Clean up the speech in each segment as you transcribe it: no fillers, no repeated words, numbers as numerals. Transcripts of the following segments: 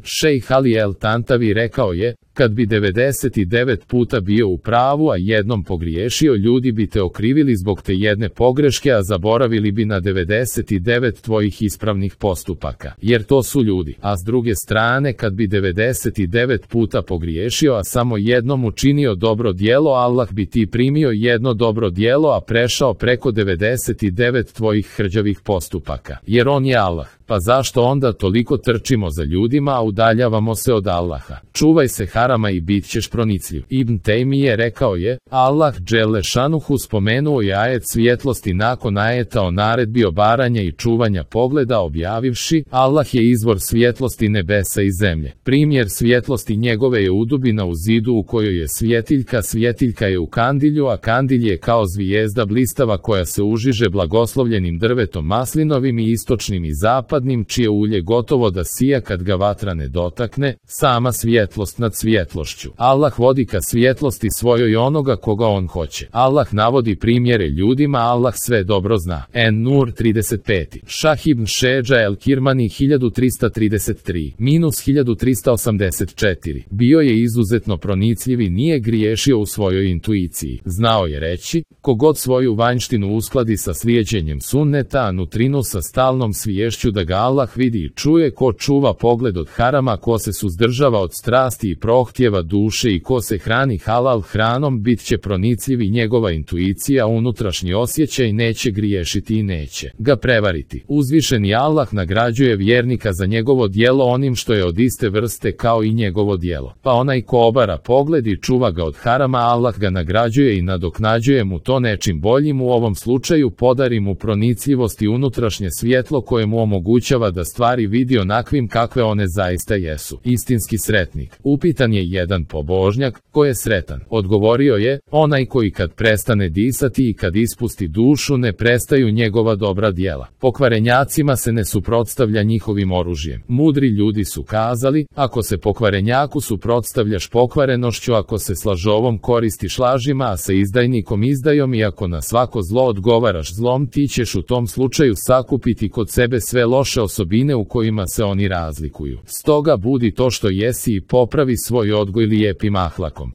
Šejh Ali El Tantavi rekao je, kad bi 99 puta bio u pravu, a jednom pogriješio, ljudi bi te okrivili zbog te jedne pogreške, a zaboravili bi na 99 tvojih ispravnih postupaka, jer to su ljudi. A s druge strane, kad bi 99 puta pogriješio, a samo jednom učinio dobro djelo, Allah bi ti primio jedno dobro djelo, a prešao preko 99 tvojih hrđavih postupaka, jer on je Allah. Pa zašto onda toliko trčimo za ljudima, a udaljavamo se od Allaha? Čuvaj se harama i bit ćeš pronicljiv. Ibn Tejmije rekao je, Allah dželle šanuhu spomenuo je ajet svjetlosti nakon ajeta o naredbi obaranja i čuvanja pogleda, objavivši, Allah je izvor svjetlosti nebesa i zemlje. Primjer svjetlosti njegove je udubina u zidu u kojoj je svjetiljka, svjetiljka je u kandilju, a kandilj je kao zvijezda blistava koja se užiže blagoslovljenim drvetom maslinovim i istočnim i zapadnim, čije ulje gotovo da sija kad ga vatra ne dotakne, sama svjetlost nad svjetlošću. Allah vodi ka svjetlosti svojoj onoga koga on hoće. Allah navodi primjere ljudima, Allah sve dobro zna. En-Nur 35. Šah ibn Šeđa el-Kirmani 1333-1384. Bio je izuzetno pronicljiv i nije griješio u svojoj intuiciji. Znao je reći, kogod svoju vanjštinu uskladi sa slijeđenjem sunneta, a nutrinu sa stalnom sviješću da ga Allah vidi i čuje, ko čuva pogled od harama, ko se suzdržava od strasti i prohtjeva duše i ko se hrani halal hranom, bit će pronicljiv i njegova intuicija, unutrašnji osjećaj neće griješiti i neće ga prevariti. Uzvišeni Allah nagrađuje vjernika za njegovo djelo onim što je od iste vrste kao i njegovo djelo. Pa onaj ko obara pogled i čuva ga od harama, Allah ga nagrađuje i nadoknađuje mu to nečim boljim, u ovom slučaju podari mu pronicljivost i unutrašnje svjetlo koje mu omogućava da stvari vidi onakvim kakve one zaista jesu. Istinski sretnik. Upitan je jedan pobožnjak, ko je sretan? Odgovorio je, onaj koji kad prestane disati i kad ispusti dušu ne prestaju njegova dobra djela. Pokvarenjacima se ne suprotstavlja njihovim oružjem. Mudri ljudi su kazali, ako se pokvarenjaku suprotstavljaš pokvarenošću, ako se s lažovom koristiš lažima, a sa izdajnikom izdajom, i ako na svako zlo odgovaraš zlom, ti ćeš u tom slučaju sakupiti kod sebe sve loše osobine u kojima se oni razlikuju. Stoga budi to što jesi i popravi svoj odgoj lijepim ahlakom.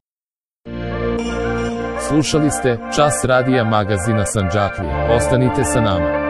Slušali ste Čas radija magazina Sandžaklija. Ostanite sa nama.